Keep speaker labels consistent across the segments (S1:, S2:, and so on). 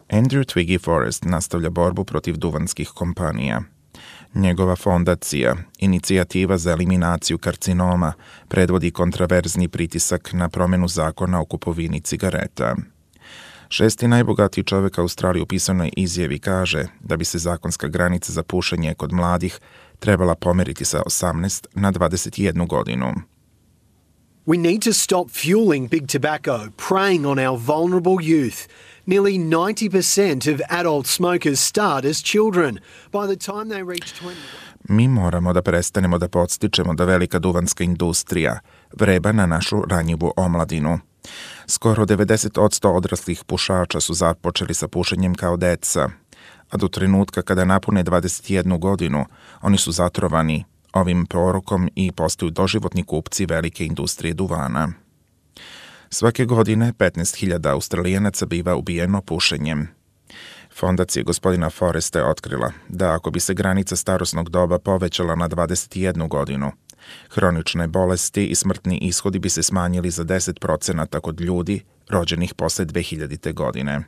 S1: Andrew Twiggy Forrest nastavlja borbu protiv duvanskih kompanija. Njegova fondacija, Inicijativa za eliminaciju karcinoma, predvodi kontraverzni pritisak na promjenu zakona o kupovini cigareta. 6. najbogatiji čovjek Australije u pisanoj izjavi kaže da bi se zakonska granica za pušenje kod mladih trebala pomeriti sa 18 na 21 godinu.
S2: We need to stop fueling big tobacco, preying on our vulnerable youth. Nearly 90% of adult smokers start as children. By the time they reach 20...
S1: Mi moramo da prestanemo da podstičemo da velika duvanska industrija vreba na našu ranjivu omladinu. Skoro 90% odraslih pušača su započeli sa pušenjem kao deca, a do trenutka kada napune 21 godinu, oni su zatrovani ovim porokom i postaju doživotni kupci velike industrije duvana. Svake godine 15.000 Australijanaca biva ubijeno pušenjem. Fondacija gospodina Forresta je otkrila da ako bi se granica starosnog doba povećala na 21 godinu, hronične bolesti i smrtni ishodi bi se smanjili za 10% kod ljudi rođenih posle 2000. godine.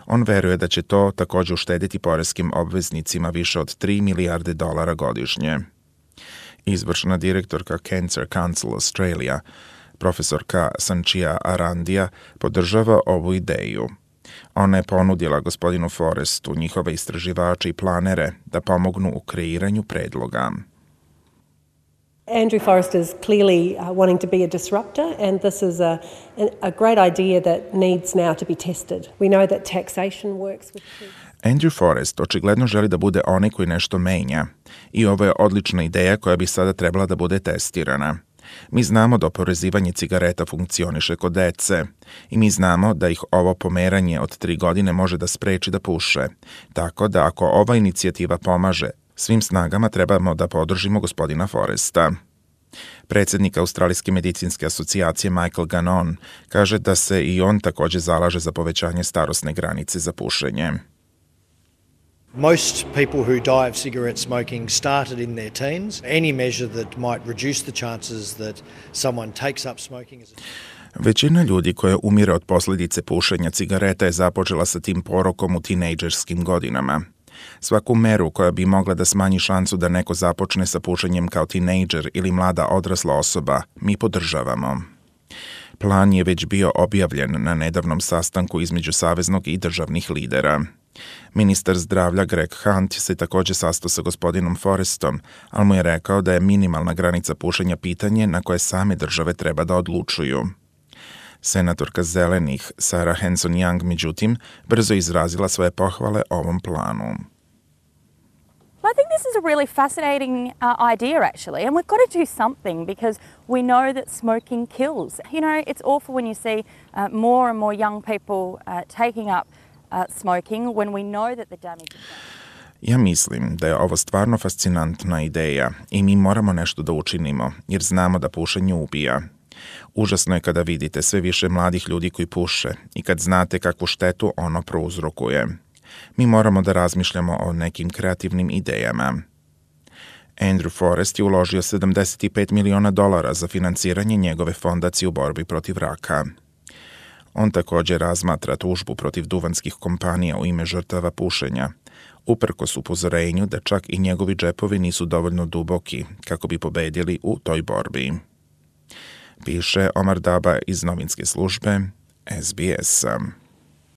S1: On veruje da će to također uštediti poreskim obveznicima više od $3 milijarde godišnje. Izvršna direktorka Cancer Council Australia, profesorka Sanchia Arandija, podržava ovu ideju. Ona je ponudila gospodinu Forrestu njihove istraživače i planere da pomognu u kreiranju predloga.
S3: Andrew Forrest is clearly wanting to be a disruptor, and this is a great idea that needs now to be tested. We know that taxation works with kids.
S1: Andrew Forrest očigledno želi da bude onaj koji nešto menja i ovo je odlična ideja koja bi sada trebala da bude testirana. Mi znamo da oporezivanje cigareta funkcioniše kod dece i mi znamo da ih ovo pomeranje od 3 godine može da spreči da puše. Tako da ako ova inicijativa pomaže, svim snagama trebamo da podržimo gospodina Forresta. Predsjednik Australijske medicinske asocijacije Michael Gannon kaže da se i on također zalaže za povećanje starosne granice za pušenje.
S4: Most people who die of cigarette smoking started in their teens. Any measure that might reduce the chances that someone takes up smoking as a...
S1: Većina ljudi koja umire od posljedice pušenja cigareta je započela sa tim porokom u tinejdžerskim godinama. Svaku meru koja bi mogla da smanji šansu da neko započne sa pušenjem kao tinejdžer ili mlada odrasla osoba, mi podržavamo. Plan je već bio objavljen na nedavnom sastanku između saveznog i državnih lidera. Ministar zdravlja Greg Hunt se također sastao sa gospodinom Forrestom, ali mu je rekao da je minimalna granica pušenja pitanje na koje same države treba da odlučuju. Senatorka Zelenih Sarah Hanson-Young, međutim, brzo izrazila svoje pohvale ovom planu.
S5: I think this is a really fascinating idea, actually, and we've got to do something because we know that smoking kills. You know, it's awful when you see more and more young people taking up smoking when we know that the damage is done.
S1: Ja mislim da je ovo stvarno fascinantna ideja i mi moramo nešto da učinimo, jer znamo da pušenje ubija. Užasno je kada vidite sve više mladih ljudi koji puše i kad znate kakvu štetu ono prouzrokuje. Mi moramo da razmišljamo o nekim kreativnim idejama. Andrew Forrest je uložio $75 miliona za financiranje njegove fondacije u borbi protiv raka. On također razmatra tužbu protiv duvanskih kompanija u ime žrtava pušenja, uprkos upozorenju da čak i njegovi džepovi nisu dovoljno duboki kako bi pobedili u toj borbi. Piše Omar Daba iz novinske službe SBS.